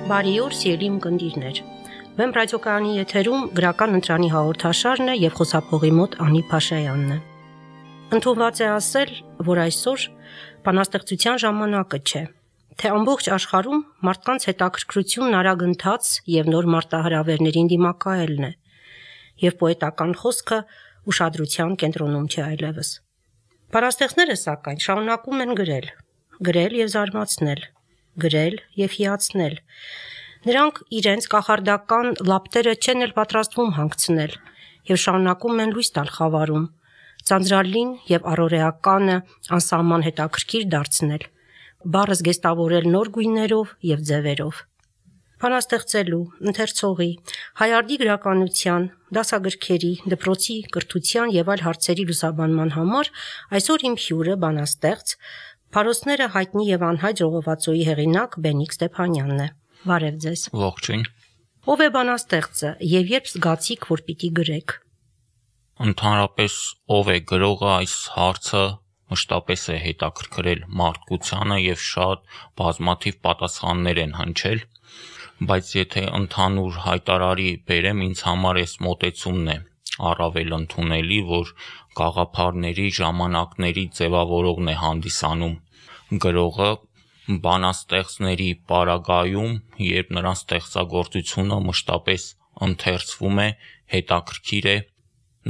Բարի օր, սիրելի ունկնդիրներ։ Վեմ ռադիոկայանի եթերում գրական ընտրանի հաղորդաշարն է եւ խոսափողի մոտ Անի Փաշայանն է։ Ընդունված է ասել, որ այսօր բանաստեղծության ժամանակը չէ, թե ամբողջ աշխարհում մարդկանց հետաքրքրությունն արագ ընթաց եւ նոր մարտահրավերներին դիմակայելն է, եւ պոետական խոսքը ուշադրության կենտրոնում չէ այլևս։ Բանաստեղծները սակայն շարունակում են գրել եւ զարմացնել, գրել եւ հիացնել։ Նրանք իրենց կախարդական լապտերը չեն էլ պատրաստվում հանգցնել եւ շարունակում են լույս տալ խավարում, ծանծրալին եւ առօրեականը անսահման հետաքրքիր դարձնել, բառը զգեստավորել նոր գույներով եւ ձևերով։ Բանաստեղծելու, ընթերցողի, հայարդի գրականության, դասագրքերի, դպրոցի կրթության եւ այլ հարցերի լուսաբանման համար այսօր իմ հյուրը բանաստեղծ Փարոսները հայտնի եւ անհայտ ժողովածոյի հեղինակ Բենիկ Ստեփանյանն է։ Բարև ձեզ։ Ողջույն։ Ով է բանաստեղծը եւ երբ զգացիք, որ պիտի գրեք։ Ընդհանրապես ով է գրողը այս հարցը մշտապես է հետաքրքրել մարդկությանը եւ շատ բազմաթիվ պատասխաններ են հնչել, բայց եթե ընդհանուր հայտարարի բերեմ, ինձ համար էս մոտեցումն է առավել ընդունելի, որ գաղափարների, ժամանակների ձևավորողն է հանդիսանում գրողը բանաստեղծների պարագայում, երբ նրանց ստեղծագործությունը մշտապես ընթերցվում է, հետաքրքիր է,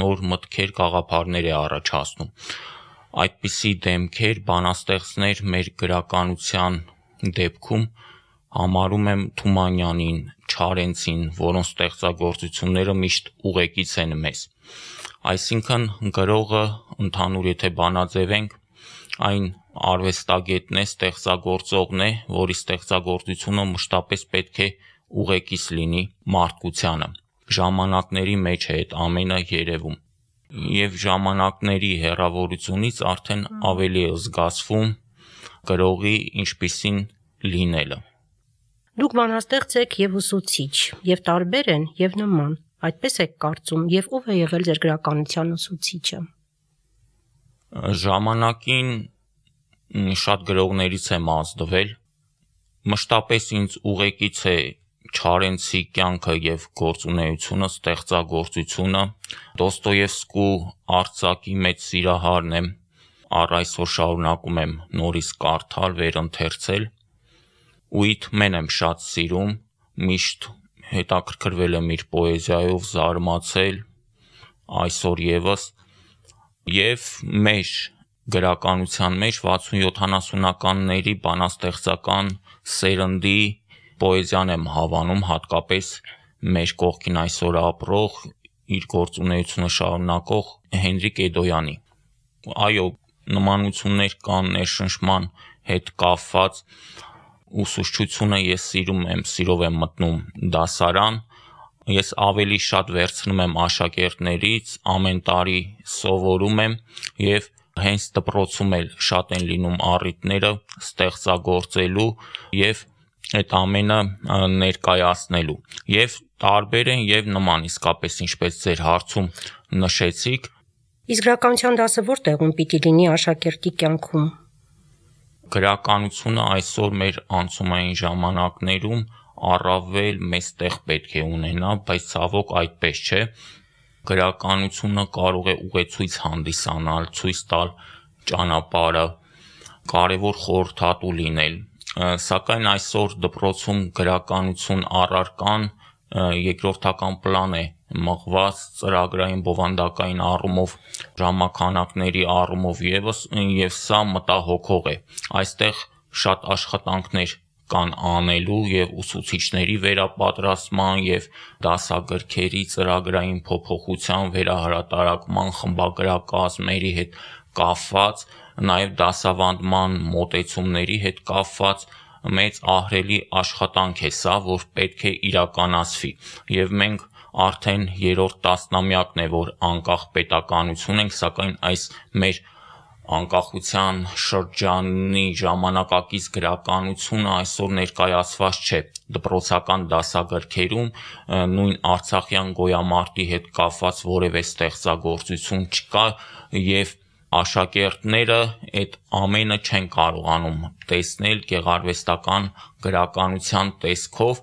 նոր մտքեր, գաղափարներ է առաջացնում։ Այդպիսի դեմքեր, բանաստեղծներ մեր գրականության դեպքում համարում եմ Թումանյանին, Չարենցին, որոնց ստեղծագործությունները միշտ ուղեկից են մեզ։ Այսինքն գրողը ընդհանուր եթե բանաձևենք, այն արվեստագետն է, ստեղծագործողն է, որի ստեղծագործությունը մշտապես պետք է ուղեկից լինի մարդկությանը։ Ժամանակների մեջ է այդ ամենը երևում։ Եվ ժամանակների հեռավորությունից արդեն ավելի է զգացվում գրողի ինչպիսին լինելը։ Դուք բանաստեղծ եք եւ ուսուցիչ, եւ տարբեր են եւ նման։ Այդպես եք կարծում, եւ ով է եղել ձեր գրականության ուսուցիչը։ Ժամանակին շատ գրողներից եմ ազդվել։ Մշտապես ինձ ուղեկից է Չարենցի կյանքը եւ գործունեությունը, ստեղծագործությունը։ Դոստոևսկու արձակի մեծ սիրահարն եմ։ Առ այսօր շարունակում եմ նորից կարդալ, վերընթերցել։ Ուիթմեն եմ շատ սիրում, միշտ հետաքրքրվել եմ իր պոեզիայով, զարմացել, այսօր եւս եւ մեր գրականության մեջ 60-70-ականների բանաստեղծական սերնդի պոեզիան եմ հավանում, հատկապես մեր կողքին այսօր ապրող, իր գործունեությունը շարունակող Հենրիկ Էդոյանի։ Այո, նմանություններ կան ներշնչման հետ կապված, ուսուցչությունը ես սիրով եմ մտնում դասարան, ես ավելի շատ վերցնում եմ աշակերտներից, ամեն տարի սովորում եմ եւ հենց դպրոցում էլ շատ են լինում առիթները ստեղծագործելու եւ այդ ամենը ներկայացնելու եւ տարբեր են եւ նման իսկապես ինչպես ձեր հարցում նշեցիք։ Իսկ գրականության դասը որտեղում պիտի լինի աշակերտի կյանքում։ Գրականությունը այսօր մեր անցումային ժամանակներում առավել մեծ տեղ պետք է ունենա, բայց ցավոք այդպես չէ։ Գրականությունը կարող է ուղեցույց հանդիսանալ, ցույց տալ ճանապարհը, կարևոր խորհրդատու լինել, սակայն այսօր դպրոցում գրականություն առարկան երկրորդական պլան է մղված ծրագրային բովանդակային առումով, ժամանականակների առումով եւս եւ սա մտահոգող է։ Այստեղ շատ աշխատանքներ կան անելու եւ ուսուցիչների վերապատրաստման եւ դասագրքերի ծրագրային փոփոխության, վերահրատարակման, խմբագրակազմերի հետ կապված, նաեւ դասավանդման մոտեցումների հետ կապված մեծ ահռելի աշխատանք է սա, որ պետք է իրականացվի եւ մենք արդեն երրորդ տասնամյակն է, որ անկախ պետականություն ենք, սակայն այս մեր անկախության շրջանի ժամանակակից գրականությունը այսօր ներկայացված չէ դպրոցական դասագրքերում, նույն արցախյան գոյամարտի հետ կապված որևէ ստեղծագործություն չկա եւ աշակերտները այդ ամենը չեն կարողանում տեսնել գեղարվեստական գրականության տեսքով,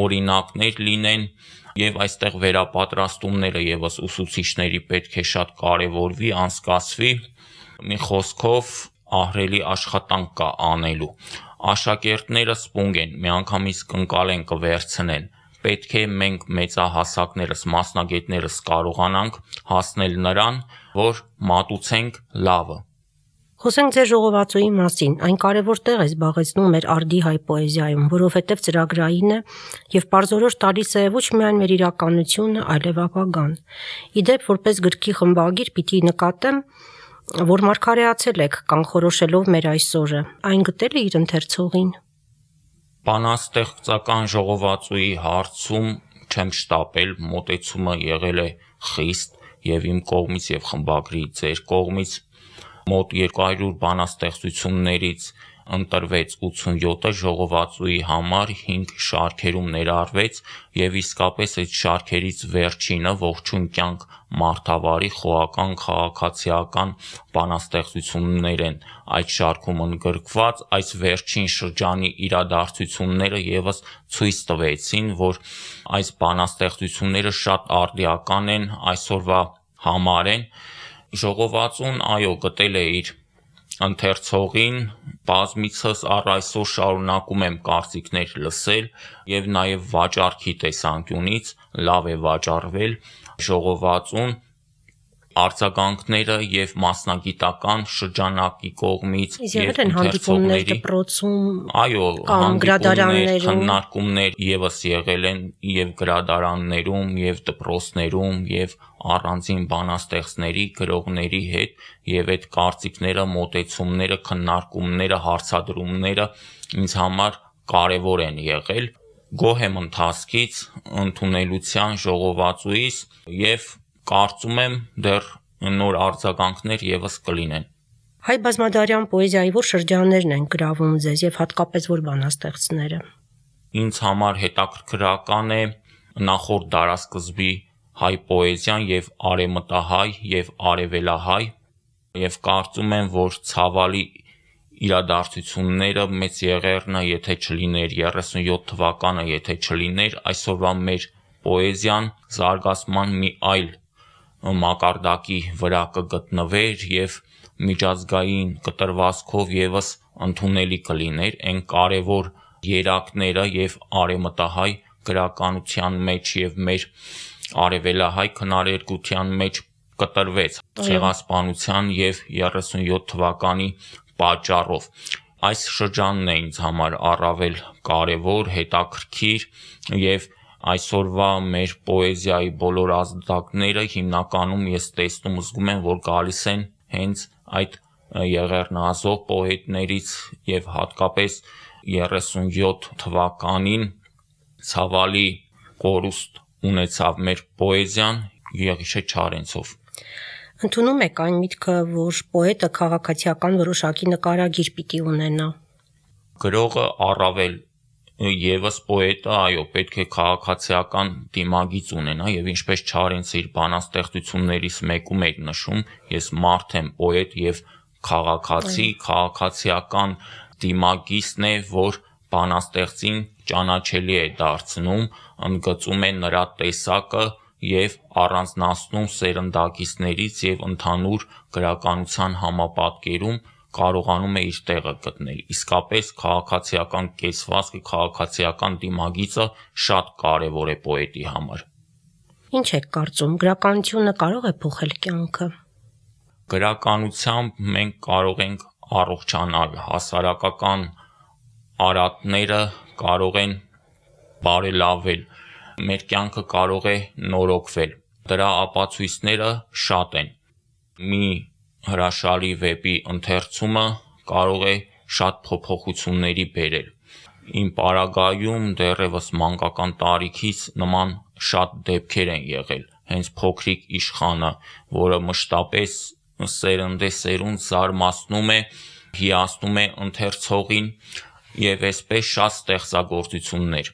օրինակներ լինեն եւ այստեղ վերապատրաստումները եւս ուսուցիչների պետք է շատ կարեւորվի, անցկացվի, մի խոսքով ահռելի աշխատանք կա անելու։ Աշակերտները սպունգ են, միանգամից կընկալեն կվերցնեն։ Պետք է մենք մեծահասակներս, մասնագետներս կարողանանք հասնել նրան, որ մատուցենք լավը։ Խոսենք ձեր ժողովածուի մասին, այն կարևոր տեղ է զբաղեցնում մեր արդի հայ պոեզիայում, որովհետև ծրագրային է եւ պարզորոշ տալիս է ոչ միայն մեր իրականությունը, այլև ապագան։ Իդեպ, որպես գրքի խմբագիր պիտի նկատեմ, որ մարգարեացել եք կանխորոշելով մեր այսօրը, այն գտել է իր ընթերցողին։ Բանաստեղծական ժողովածուի հարցում չեմ շտապել, մոտեցումը եղել է խիստ եւ իմ կողմից եւ խմբագրի ձեր կողմից մոտ 200 բանաստեղծություններից ընտրվեց 87-ը ժողովածուի համար 5 շարքերում ներառվեց եւ իսկապես այդ շարքերից վերջինը ողջույն կյանք մարդավարի խոհական քաղաքացիական բանաստեղծություններ են այդ շարքում ընդգրկված, այս վերջին շրջանի իրադարձությունները եւս ցույց տվեցին, որ այս բանաստեղծությունները շատ արդիական են, այսօրվա համար են։ Ժողովածուն գտել է իր ընթերցողին, բազմիցս առ այսօր շարունակում եմ կարծիքներ լսել եւ նաեւ վաճառքի տեսանկյունից լավ է վաճառվել ժողովածուն, արձագանքները եւ մասնագիտական շրջանակի կողմից եւ հանդիպումներ դպրոցում, կամ գրադարաններում, քննարկումներ եւս եղել են եւ գրադարաններում եւ դպրոցներում եւ առանձին բանաստեղծների, գրողների հետ եւ այդ կարծիքները, մոտեցումները, քննարկումները, հարցադրումները ինձ համար կարեւոր են եղել։ Գոհ եմ ընթացքից, ընդունելության ժողովածուից եւ կարծում եմ դեռ նոր արձագանքներ եւս կլինեն։ Հայ բազմադարյան պոեզիայի որ շրջաններն են գրավում ձեզ եւ հատկապես որ բանաստեղծները։ Ինձ համար հետաքրքրական է նախորդ դարաշրջանի հայ պոեզիան եւ արևմտահայ եւ արևելահայ եւ կարծում եմ, որ ցավալի իրադարձությունները մեծ եղեռնը, եթե չլիներ 37 թվականը, եթե չլիներ, այսօրվա մեր պոեզիան զարգացման մի այլ մակարդակի վրա կգտնվեր եւ միջազգային կտրվածքով եւս ընդունելի կլիներ այն կարևոր երակները եւ արևմտահայ գրականության մեջ եւ մեր արևելահայ քնարերգության մեջ կտրվեց ցեղասպանության եւ 37 թվականի պատճառով։ Այս շրջանն է ինձ համար առավել կարևոր, հետաքրքիր եւ այսօրվա մեր պոեզիայի բոլոր ազդակները հիմնականում ես տեսնում զգում եմ, որ գալիս են հենց այդ եղեռնազոհ պոետներից եւ հատկապես 37 թվականին ցավալի կորուստ ունեցավ մեր պոեզիան Եղիշե Չարենցով։ Ընդունում եք այն միտքը, որ պոետը քաղաքացիական որոշակի նկարագիր պիտի ունենա։ Գրողը առավել Եվս պոետը, պետք է քաղաքացիական դիմագիծ ունենա եւ ինչպես Չարենցը իր բանաստեղծություններից մեկում էր նշում, ես մարդ եմ պոետ եւ քաղաքացի, քաղաքացիական դիմագիծն է, որ բանաստեղծին ճանաչելի է դարձնում, ընդգծում է նրա տեսակը եւ առանձնացնում սերնդակիցներից եւ ընդհանուր գրականության համապատկերում կարողանում է իր տեղը գտնել։ Իսկապես քաղաքացիական կեցվածքը, քաղաքացիական դիմագիծը շատ կարևոր է պոետի համար։ Ինչ եք կարծում, գրականությունը կարող է փոխել կյանքը։ Գրականությամբ մենք կարող ենք առողջանալ, հասարակական արատները կարող են բարելավել, մեր կյանքը կարող է նորոգվել։ Դրա ապացույցները շատ են։ Մի հրաշալի վեպի ընթերցումը կարող է շատ փոփոխությունների բերել։ Իմ պարագայում դեռևս մանկական տարիքից նման շատ դեպքեր են եղել։ Հենց փոքրիկ իշխանը, որը մշտապես սերնդեսերունդ զարմացնում է, հիացնում է ընթերցողին եւ այսպես շատ ստեղծագործություններ։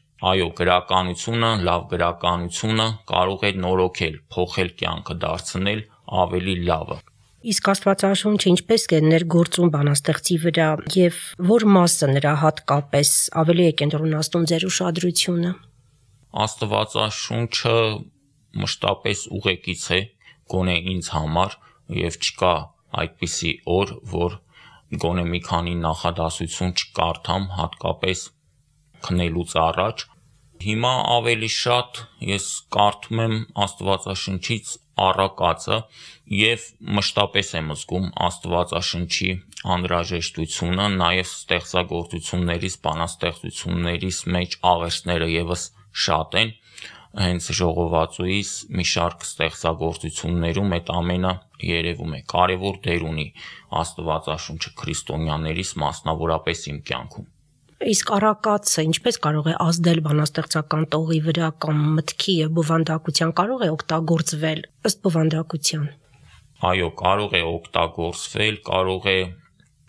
Գրականությունը, լավ գրականությունը կարող է նորոգել, փոխել կյանքը, դարձնել ավելի լավը։ Իսկ Աստվածաշունչը ինչպես է ներգործում բանաստեղծի վրա եւ որ մասը նրա հատկապես ավելի է կենտրոնացնում ձեր ուշադրությունը։ Աստվածաշունչը մշտապես ուղեկից է, գոնե ինձ համար, եւ չկա այդպիսի օր, որ գոնե մի քանի նախադասություն չկարդամ, հատկապես քնելուց առաջ։ Հիմա ավելի շատ ես կարդում եմ Աստվածաշնչից առակածը եւ մշտապես եմ զգում Աստվածաշնչի անհրաժեշտությունը, նաեւ ստեղծագործություններից, բանաստեղծություններից մեջ աղերսները եւս շատ են, հենց ժողովածուից մի շարք ստեղծագործություններում այդ ամենը երևում է, կարևոր դեր ունի Աստվածաշունչը քրիստոնյաներիս, մասնավորապես իմ կյանքում։ Իսկ առակածը ինչպես կարող է ազդել բանաստեղծական տողի վրա կամ մտքի եւ բովանդակության, կարող է օգտագործվել ըստ բովանդակության։ Այո, կարող է օգտագործվել, կարող է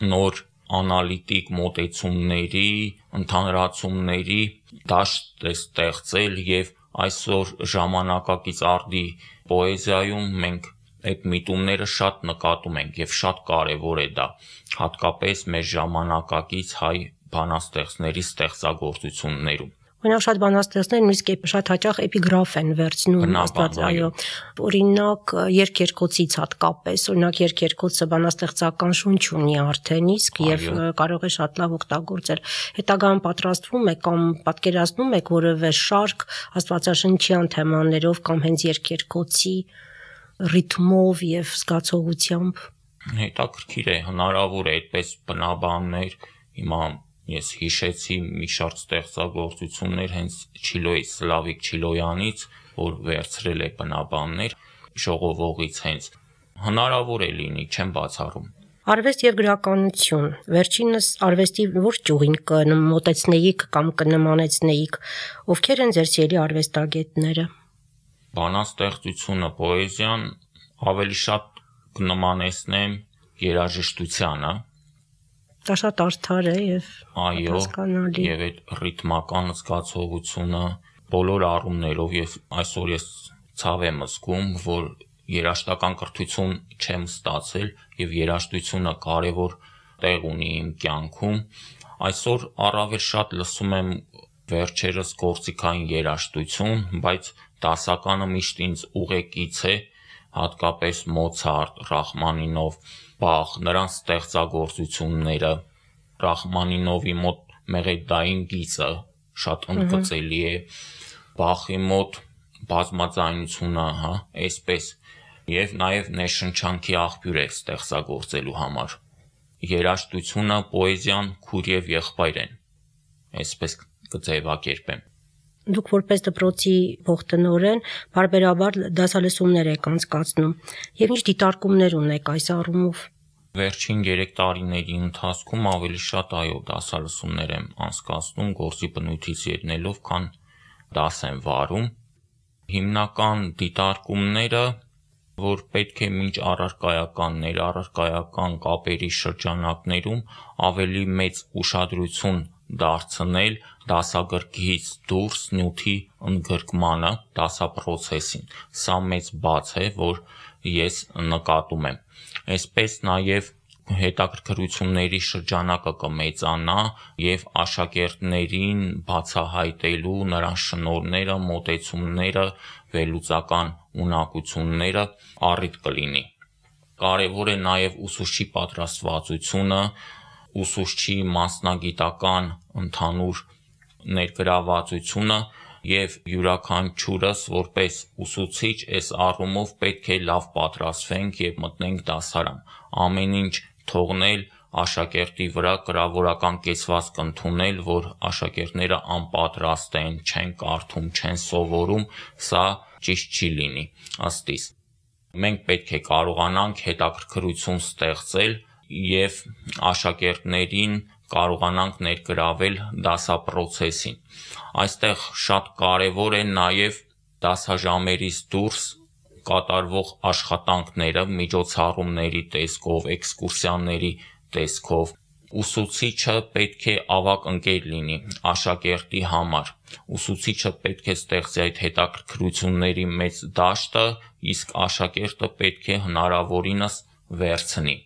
նոր անալիտիկ մոտեցումների, ընդհանրացումների դաշտ ստեղծել եւ այսօր ժամանակակից արդի պոեզիայում մենք այդ միտումները շատ նկատում ենք եւ շատ կարեւոր է դա, հատկապես մեր ժամանակակից հայ բանաստեղծների ստեղծագործություններում։ Օրինակ շատ բանաստեղծներ նույնիսկ շատ հաճախ էպիգրաֆ են վերցնում աստված, այո, օրինակ երկերկոցից հատկապես, օրինակ երկերկոցը բանաստեղծական շունչ ունի արդեն իսկ եւ կարող է շատ լավ օգտագործել։ Հետագայում պատրաստվում է կամ պատկերացնում եք որևէ շարք աստվածաշնչյան թեմաներով կամ հենց երկերկոցի ռիթմով եւ զգացողությամբ։ Հետաքրքիր է, հնարավոր է այդպես բնաբաններ, հիմա ես հիշեցի մի շարք ստեղծագործություններ հենց Չիլոյի Սլավիկ Չիլոյանից, որ վերցրել է բնաբաններ ժողովողից հենց, հնարավոր է լինի, չեմ բացառում։ Արվեստ եւ գրականություն, վերջինս արվեստի որ ճյուղին կմոտեցնեիք կամ կնմանեցնեիք, ովքեր են ձեր սիրելի արվեստագետները։ Բանաստեղծությունը, պոեզիան ավելի շատ կնմանեցնեմ երաժշտությանը։ Դա շատ արդար է եւ հասկանալի։ Եվ այդ ռիթմական զգացողությունը բոլոր առումներով եւ այսօր ես ցավ եմ զգում, որ երաժշտական կրթություն չեմ ստացել եւ երաժշտությունը կարեւոր տեղ ունի իմ կյանքում։ Այսօր առավել շատ լսում եմ վերջերս գործիքային երաժշտություն, բայց դասականը միշտ ինձ ուղեկից է, հատկապես Մոցարտ, Ռախմանինով, Բախ, նրանց ստեղծագործությունները, Ռախմանինովի մոտ մեղեդային գիծը շատ ընդգծելի է, Բախի մոտ բազմաձայնությունը, այսպես, եւ նաեւ ներշնչանքի աղբյուր է ստեղծագործելու համար։ Երաժշտությունը, պոեզիան քույր եւ եղբայր են, այսպես կձևակերպեմ։ Դուք որպես դպրոցի փոխտնօրեն բարբերաբար դասալսումներ եք անցկացնում եւ ինչ դիտարկումներ ունեք այս առումով։ Վերջին 3 տարիների ընթացքում ավելի շատ այո դասալսումներ եմ անցկացնում գործի բնույթից ելնելով, քան դաս եմ վարում։ Հիմնական դիտարկումները, որ պետք է մինչ առարկայական, ներառարկայական կապերի շրջանակներում ավելի մեծ ուշադրություն դարձնել դասագրքից դուրս նյութի ընդգրկմանը, դասապրոցեսին։ Սա մեծ բաց է, որ ես նկատում եմ։ Այսպես նաև հետաքրքրությունների շրջանակը կմեծանա եւ աշակերտներին բացահայտելու նրանց շնորհները, մոտեցումները, վերլուծական ունակությունները առիթ կլինի։ Կարևոր է նաև ուսուցչի պատրաստվածությունը, ուսուցչի մասնագիտական ընդհանուր ներգրավվածությունը եւ յուրաքանչյուրս որպես ուսուցիչ այս առումով պետք է լավ պատրաստվենք եւ մտնենք դասարան։ Ամեն ինչ թողնել աշակերտի վրա, կրավորական կեցվածք ընդունել, որ աշակերտները անպատրաստ են, չեն կարդում, չեն սովորում, սա ճիշտ չի լինի, ըստ իս։ Մենք պետք է կարողանանք հետաքրքրություն ստեղծել եւ աշակերտներին կարողանանք ներգրավել դասապրոցեսին։ Այստեղ շատ կարևոր է նաև դասաժամերից դուրս կատարվող աշխատանքները, միջոցառումների տեսքով, էքսկուրսիաների տեսքով։ Ուսուցիչը պետք է ավագ ընկեր լինի աշակերտի համար։ Ուսուցիչը պետք է ստեղծի այդ հետաքրքրությունների մեծ դաշտը, իսկ աշակերտը պետք է հնարավորինս վերցնի։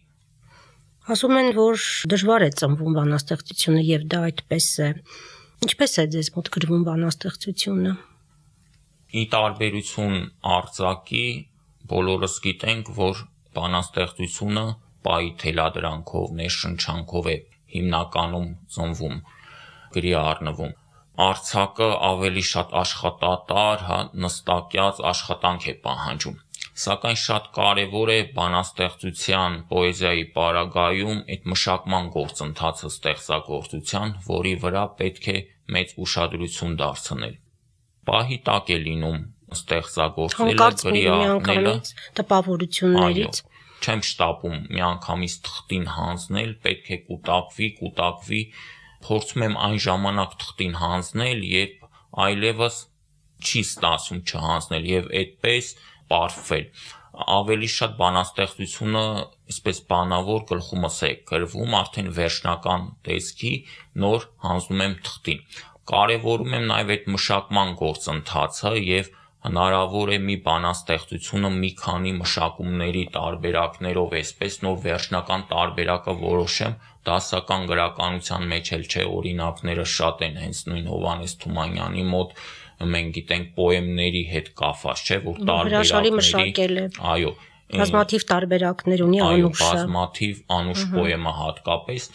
Ասում են, որ դժվար է ծնվում բանաստեղծությունը եւ դա այդպես է։ Ինչպես է ձեզ մոտ գրվում բանաստեղծությունը։ Ի տարբերություն արձակի, բոլորս գիտենք, որ բանաստեղծությունը պայի թելադրանքով, ներշնչանքով է հիմնականում ծնվում, գրի առնվում։ Արձակը ավելի շատ աշխատատար, նստակյաց աշխատանք է պահանջում։ Սակայն շատ կարևոր է բանաստեղծության, պոեզիայի պարագայում այդ մշակման գործընթացը ստեղծագործության, որի վրա պետք է մեծ ուշադրություն դարձնել։ Պահի տակ է լինում ստեղծագործելը, գրի առնելը, տպավորություններից։ Չեմ շտապում միանգամից թղթին հանձնել, պետք է կուտակվի, փորձում եմ այն ժամանակ թղթին հանձնել, երբ այլևս չի ստացվում չհանձնել եւ այդպես պարփվել։ Ավելի շատ բանաստեղծությունը, այսպես բանավոր գլխումս է գրվում, արդեն վերջնական տեսքի, նոր հանձնում եմ թղթին։ Կարևորում եմ նաև այդ մշակման գործընթացը եւ հնարավոր է մի բանաստեղծությունը մի քանի մշակումների տարբերակներով այսպես նոր վերջնական տարբերակը որոշեմ, դասական գրականության մեջ էլ չէ, օրինակները շատ են, հենց նույն Հովհաննես Թումանյանի մոտ մենք գիտենք պոեմների հետ կապված, չէ, որ տարբերակների, այո, բազմաթիվ տարբերակներ ունի Անուշը, բազմաթիվ Անուշ պոեմը հատկապես,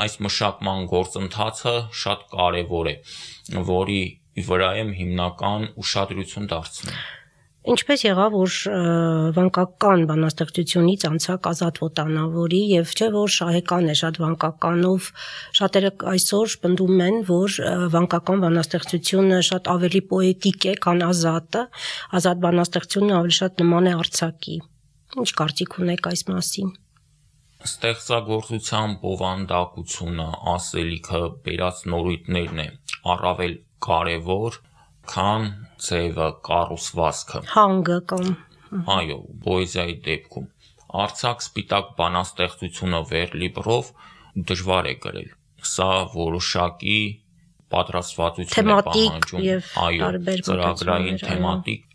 այս մշակման գործընթացը շատ կարևոր է, որի վրա եմ հիմնական ուշադրություն դարձնում։ Ինչպես եղավ, որ վանկական բանաստեղծությունից անցակ Ազատ Վոտանավորի եւ չէ որ շահեկան է շատ վանկականով, շատերը այսօր պնդում են, որ վանկական բանաստեղծությունը շատ ավելի պոետիկ է, քան Ազատը, Ազատ բանաստեղծությունը ավելի շատ նման է արձակի։ Ինչ կարծիք ունեք այս մասին։ Ստեղծագործության բովանդակությունը, ասելիքը, բերած նորույթներն է առավել կարևոր, քան ձևը, կառուցվածքը։ Հանգը կամ այո, պոեզիայի դեպքում արձակ սպիտակ բանաստեղծությունը վերլիբրով դժվար է գրել։ Սա որոշակի պատրաստվածություն է պահանջում, այո, ծրագրային թեմատիկ։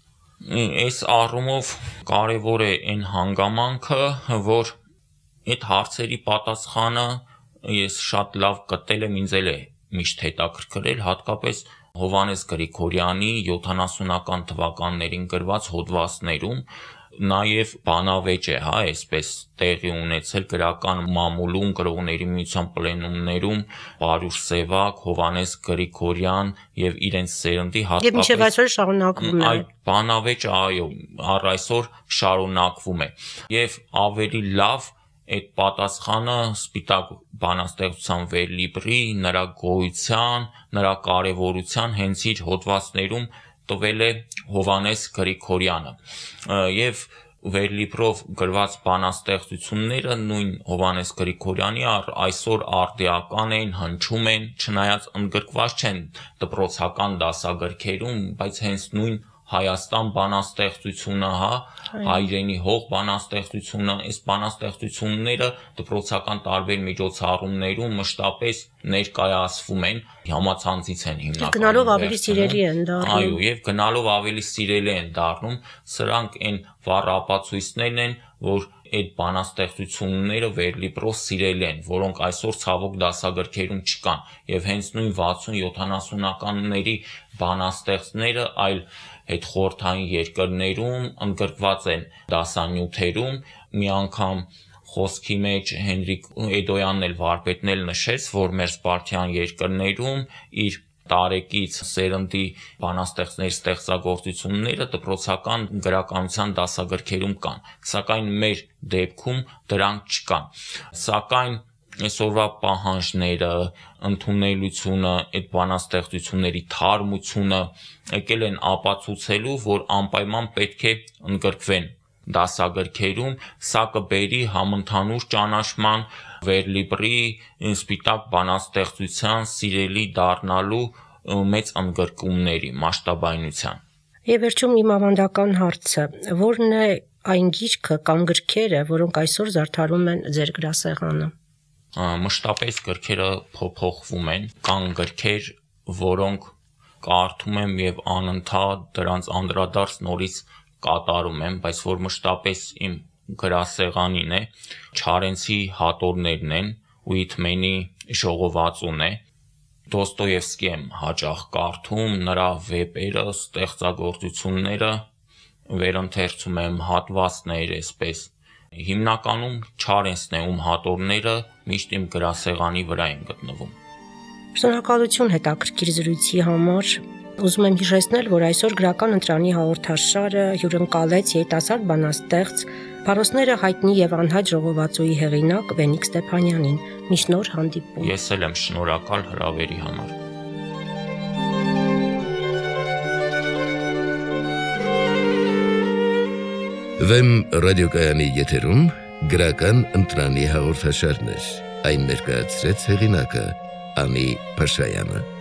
Այս առումով կարևոր է այն հանգամանքը, որ այդ հարցերի պատասխանը ես շատ լավ գտել եմ, ինձ էլ է միշտ հետաքրքրել, հատկապես Հովհաննես Գրիգորյանի 70-ական թվականներին գրված հոդվածներում, նաև բանավեճ է, այսպես տեղի ունեցել գրական մամուլում, գրողների միության պլենումներում, Պարուշ Սևակ, Հովհաննես Գրիգորյան եւ իրենց սերնդի հատկապես եւ մինչեւ այսօր շարունակվում է։ Այդ բանավեճը, այո, առ այսօր շարունակվում է եւ ավելի լավ այդ պատասխանը սպիտակ բանաստեղծության վերլիբրի, նրա գոյության, նրա կարևորության հենց իր հոդվածներում տվել է Հովհաննես Գրիգորյանը եւ վերլիբրով գրված բանաստեղծությունները նույն Հովհաննես Գրիգորյանի այսօր արդիական են, հնչում են, չնայած ընդգրկված չեն դպրոցական դասագրքերում, բայց հենց նույն Հայաստան բանաստեղծությունը, հայրենի հող բանաստեղծությունը, այս բանաստեղծությունները դպրոցական տարբեր միջոցառումներում մշտապես ներկայացվում են, համացանցից են հիմնականում։ Գնալով ավելի սիրելի են դառնում։ Այո, եւ գնալով ավելի սիրելի են դառնում, սրանք այն վառ ապացույցներն են, որ այդ բանաստեղծությունները վերլիբրով սիրելի են, որոնք այսօր ցավոք դասագրքերում չկան, եւ հենց նույն 60-70-ականների բանաստեղծները այլ հետխորհրդային երկրներում ընդգրկված են դասանյութերում, մի անգամ խոսքի մեջ Հենրիկ Էդոյանն էլ վարպետն էլ նշեց, որ մեր Սպարտյան երկրներում իր տարեկից սերնդի բանաստեղծների ստեղծագործությունները դպրոցական գրականության դասագրքերում կան, սակայն մեր դեպքում դրանք չկան, սակայն այսօրվա պահանջները, ընդունելությունը, այդ բանաստեղծությունների թարմությունը եկել են ապացուցելու, որ անպայման պետք է ընդգրկվեն դասագրքերում, սա կբերի համընդհանուր ճանաչման, վերլիբրի, սպիտակ բանաստեղծության սիրելի դառնալու մեծ ընդգրկումների մասշտաբայնության։ Եվ վերջում իմ ավանդական հարցը, որն է այն գիրքը կամ գրքերը, որոնք այսօր զարդարում են ձեր գրասեղանը։ Մշտապես գրքերը փոփոխվում են, կան գրքեր, որոնք կարդում եմ եւ անընդհատ դրանց անդրադարձ նորից կատարում եմ, բայց որ մշտապես իմ գրասեղանին է, Չարենցի հատորներն են ու Իթմենի ժողովածուն է։ Դոստոևսկի եմ հաճախ կարդում, նրա վեպերը, ստեղծագործությունները, վերընթերցում եմ հատվածներ, այսպես։ Հիմնականում Չարենցն է, ում հատորները միշտ իմ գրասեղանի վրա են գտնվում։ Շնորհակալություն հետաքրքիր զրույցի համար։ Ուզում եմ հիշեցնել, որ այսօր գրական ընտրանի հաղորդաշարը հյուրընկալեց երիտասարդ բանաստեղծ, Փարոսները հայտնի եւ անհայտ ժողովածուի հեղինակ Վենիկ Ստեփանյանին։ Միշտ նոր հանդիպում։ Ես էլ եմ շնորհակալ հրավերի համար։ Վեմ ռադիոկայանի եթերում գրական ընտրանի հաղորդաշարներ։ Այն ներկայացրեց հեղինակը Անի Փաշայանը։